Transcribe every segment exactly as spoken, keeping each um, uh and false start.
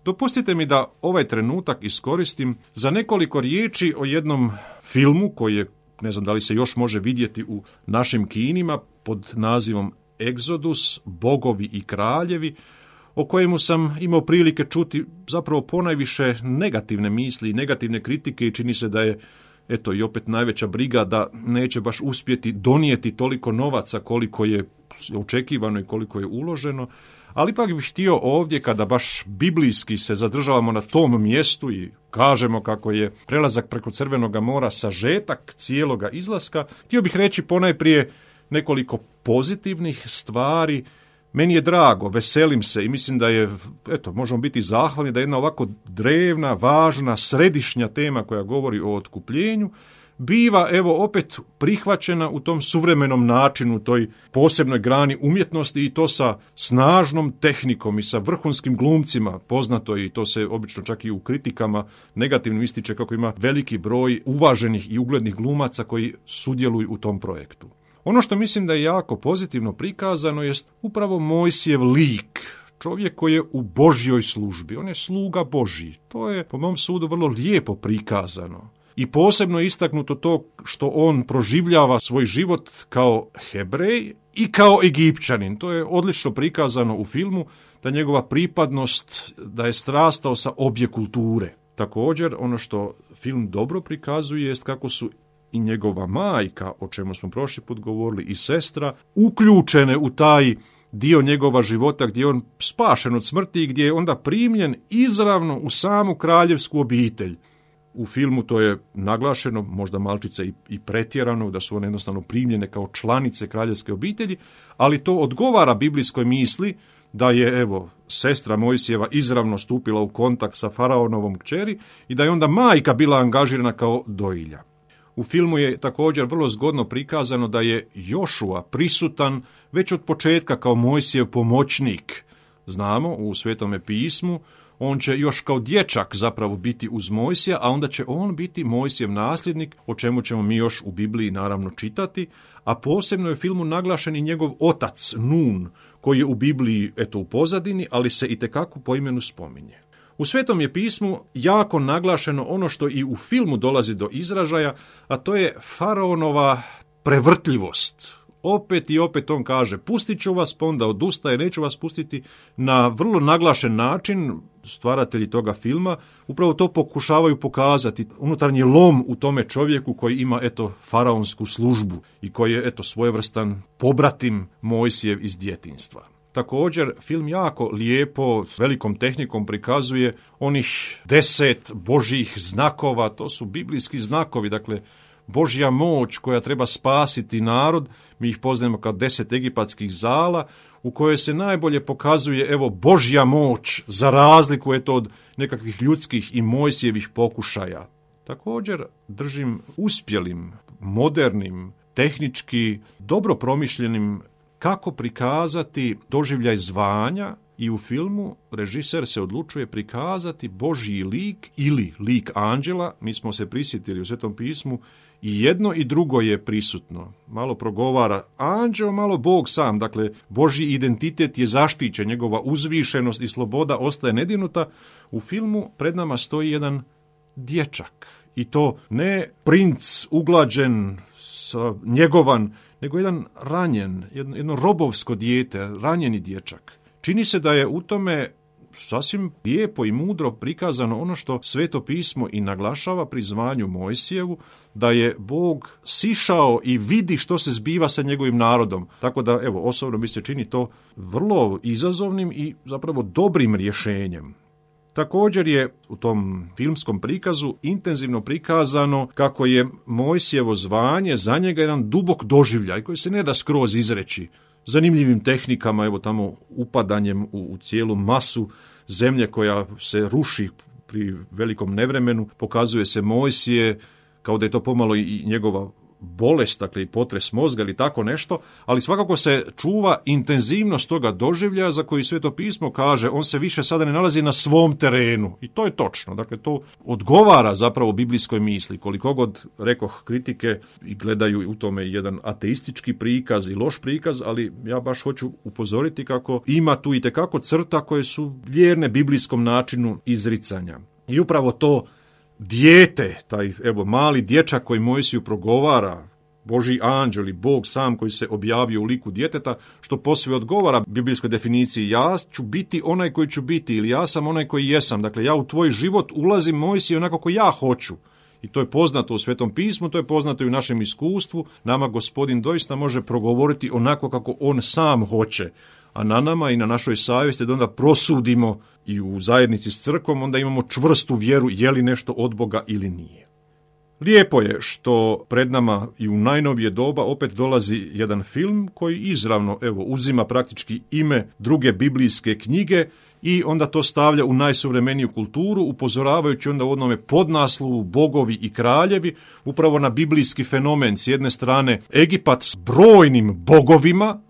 Dopustite mi da ovaj trenutak iskoristim za nekoliko riječi o jednom filmu koji je, ne znam da li se još može vidjeti u našim kinima, pod nazivom Egzodus, Bogovi i kraljevi, o kojemu sam imao prilike čuti zapravo ponajviše negativne misli i negativne kritike i čini se da je, eto, i opet najveća briga da neće baš uspjeti donijeti toliko novaca koliko je očekivano i koliko je uloženo. Ali ipak bih htio ovdje, kada baš biblijski se zadržavamo na tom mjestu i kažemo kako je prelazak preko Crvenog mora sažetak cijeloga izlaska, htio bih reći ponajprije nekoliko pozitivnih stvari. Meni je drago, veselim se i mislim da je, eto, možemo biti zahvalni da je jedna ovako drevna, važna, središnja tema koja govori o otkupljenju biva, evo, opet prihvaćena u tom suvremenom načinu, toj posebnoj grani umjetnosti i to sa snažnom tehnikom i sa vrhunskim glumcima, poznato i to se obično čak i u kritikama negativno ističe kako ima veliki broj uvaženih i uglednih glumaca koji sudjeluju u tom projektu. Ono što mislim da je jako pozitivno prikazano jest upravo Mojsijev lik, čovjek koji je u Božjoj službi, on je sluga Božji. To je po mom sudu vrlo lijepo prikazano. I posebno je istaknuto to što on proživljava svoj život kao Hebrej i kao Egipćanin. To je odlično prikazano u filmu, da njegova pripadnost, da je strastao sa obje kulture. Također, ono što film dobro prikazuje jest kako su i njegova majka, o čemu smo prošli put govorili, i sestra, uključene u taj dio njegova života gdje je on spašen od smrti i gdje je onda primljen izravno u samu kraljevsku obitelj. U filmu to je naglašeno, možda malčice i, i pretjerano, da su one jednostavno primljene kao članice kraljevske obitelji, ali to odgovara biblijskoj misli da je, evo, sestra Mojsijeva izravno stupila u kontakt sa faraonovom kćeri i da je onda majka bila angažirana kao dojilja. U filmu je također vrlo zgodno prikazano da je Jošua prisutan već od početka kao Mojsijev pomoćnik. Znamo u Svetome pismu, on će još kao dječak zapravo biti uz Mojsija, a onda će on biti Mojsijev nasljednik, o čemu ćemo mi još u Bibliji naravno čitati, a posebno je u filmu naglašen i njegov otac Nun, koji je u Bibliji, eto, u pozadini, ali se itekako po imenu spominje. U Svetom je pismu jako naglašeno ono što i u filmu dolazi do izražaja, a to je faraonova prevrtljivost. Opet i opet on kaže, pustit ću vas, pa onda odustaje, neću vas pustiti, na vrlo naglašen način. Stvaratelji toga filma upravo to pokušavaju pokazati, unutarnji lom u tome čovjeku koji ima, eto, faraonsku službu i koji je, eto, svojevrstan pobratim Mojsijev iz djetinjstva. Također, film jako lijepo, s velikom tehnikom prikazuje onih deset Božjih znakova, to su biblijski znakovi, dakle, Božja moć koja treba spasiti narod, mi ih poznajemo kao deset egipatskih zala, u kojoj se najbolje pokazuje, evo, Božja moć, za razliku je to od nekakvih ljudskih i Mojsijevih pokušaja. Također držim uspjelim, modernim, tehnički dobro promišljenim kako prikazati doživljaj zvanja i u filmu režiser se odlučuje prikazati Božji lik ili lik anđela. Mi smo se prisjetili u Svetom pismu i jedno i drugo je prisutno. Malo progovara anđeo, malo Bog sam. Dakle, Božji identitet je zaštićen, njegova uzvišenost i sloboda ostaje nedirnuta. U filmu pred nama stoji jedan dječak. I to ne princ uglađen, njegovan, nego jedan ranjen, jedno, jedno robovsko dijete, ranjeni dječak. Čini se da je u tome sasvim lijepo i mudro prikazano ono što Sveto pismo i naglašava pri zvanju Mojsijevu, da je Bog sišao i vidi što se zbiva sa njegovim narodom. Tako da, evo, osobno mi se čini to vrlo izazovnim i zapravo dobrim rješenjem. Također je u tom filmskom prikazu intenzivno prikazano kako je Mojsijevo zvanje za njega jedan dubok doživljaj koji se ne da skroz izreći. Zanimljivim tehnikama, evo tamo upadanjem u, u cijelu masu zemlje koja se ruši pri velikom nevremenu, pokazuje se Mojsije kao da je to pomalo i njegova bolest, dakle i potres mozga ili tako nešto, ali svakako se čuva intenzivnost toga doživljaja za koji Sveto pismo kaže on se više sada ne nalazi na svom terenu. I to je točno. Dakle, to odgovara zapravo biblijskoj misli. Koliko god, rekoh, kritike i gledaju u tome jedan ateistički prikaz i loš prikaz, ali ja baš hoću upozoriti kako ima tu itekako crta koje su vjerne biblijskom načinu izricanja. I upravo to dijete, taj evo mali dječak koji Mojsiju progovara, Božji anđel i Bog sam koji se objavio u liku djeteta, što posve odgovara biblijskoj definiciji ja ću biti onaj koji ću biti ili ja sam onaj koji jesam. Dakle, ja u tvoj život ulazim, Mojsije, onako kako ja hoću. I to je poznato u Svetom pismu, to je poznato i u našem iskustvu. Nama Gospodin doista može progovoriti onako kako on sam hoće. A na nama i na našoj savjesti da onda prosudimo i u zajednici s crkvom, onda imamo čvrstu vjeru je li nešto od Boga ili nije. Lijepo je što pred nama i u najnovije doba opet dolazi jedan film koji izravno evo uzima praktički ime druge biblijske knjige i onda to stavlja u najsuvremeniju kulturu, upozoravajući onda u onome podnaslovu Bogovi i kraljevi upravo na biblijski fenomen. S jedne strane Egipat s brojnim bogovima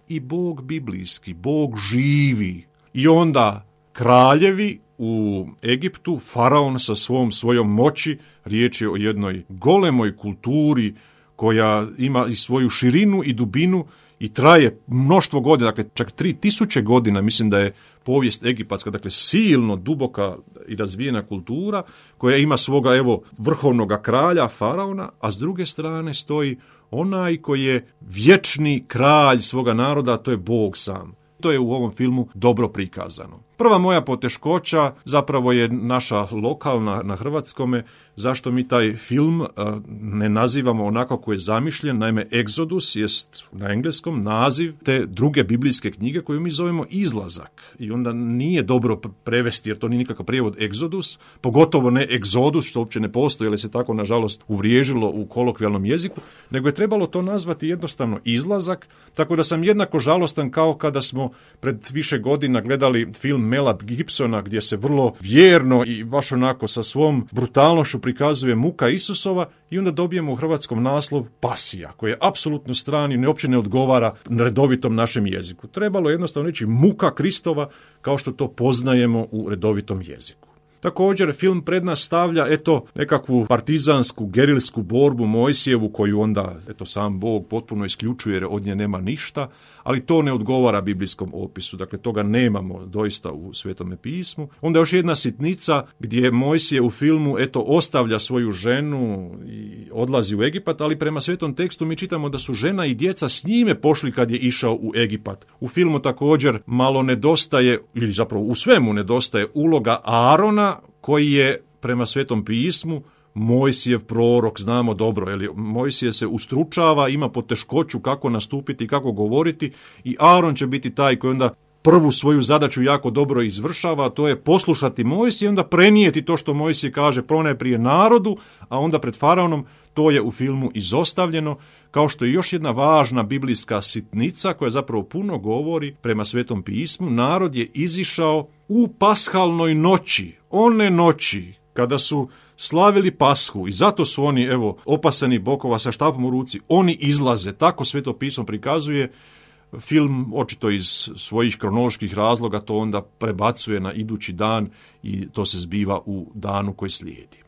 i Bog biblijski, Bog živi. I onda kraljevi u Egiptu, faraon sa svom svojom moći, riječ je o jednoj golemoj kulturi koja ima i svoju širinu i dubinu i traje mnoštvo godina, dakle čak tri tisuće godina, mislim da je povijest egipatska, dakle silno duboka i razvijena kultura koja ima svoga evo vrhovnoga kralja, faraona, a s druge strane stoji onaj koji je vječni kralj svoga naroda, a to je Bog sam. To je u ovom filmu dobro prikazano. Prva moja poteškoća zapravo je naša lokalna na hrvatskome, zašto mi taj film a, ne nazivamo onako kako je zamišljen. Naime, Exodus jest na engleskom naziv te druge biblijske knjige koju mi zovemo Izlazak. I onda nije dobro prevesti jer to nije nikakav prijevod Exodus, pogotovo ne Exodus, što uopće ne postoji, jer se tako nažalost uvriježilo u kolokvijalnom jeziku, nego je trebalo to nazvati jednostavno Izlazak, tako da sam jednako žalostan kao kada smo pred više godina gledali film Mela Gibsona gdje se vrlo vjerno i baš onako sa svom brutalnošću prikazuje muka Isusova i onda dobijemo u hrvatskom naslov Pasija, koji je apsolutno strani, ne uopće ne odgovara redovitom našem jeziku. Trebalo je jednostavno reći muka Kristova kao što to poznajemo u redovitom jeziku. Također, film pred nas stavlja eto nekakvu partizansku, gerilsku borbu Mojsijevu koju onda eto sam Bog potpuno isključuje jer od nje nema ništa, ali to ne odgovara biblijskom opisu, dakle toga nemamo doista u Svetome pismu. Onda još jedna sitnica gdje Mojsije u filmu eto ostavlja svoju ženu i odlazi u Egipat, ali prema svetom tekstu mi čitamo da su žena i djeca s njime pošli kad je išao u Egipat. U filmu također malo nedostaje, ili zapravo u svemu nedostaje uloga Aarona, koji je prema Svetom pismu Mojsijev prorok, znamo dobro, jer Mojsije se ustručava, ima poteškoću kako nastupiti, kako govoriti i Aaron će biti taj koji onda prvu svoju zadaću jako dobro izvršava, to je poslušati Mojsije i onda prenijeti to što Mojsije kaže ponajprije narodu, a onda pred faraonom. To je u filmu izostavljeno, kao što je još jedna važna biblijska sitnica koja zapravo puno govori prema Svetom pismu. Narod je izišao u pashalnoj noći, one noći kada su slavili Pashu i zato su oni evo opasani bokova sa štapom u ruci, oni izlaze, tako Sveto pismo prikazuje. Film, očito iz svojih kronoloških razloga, to onda prebacuje na idući dan i to se zbiva u danu koji slijedi.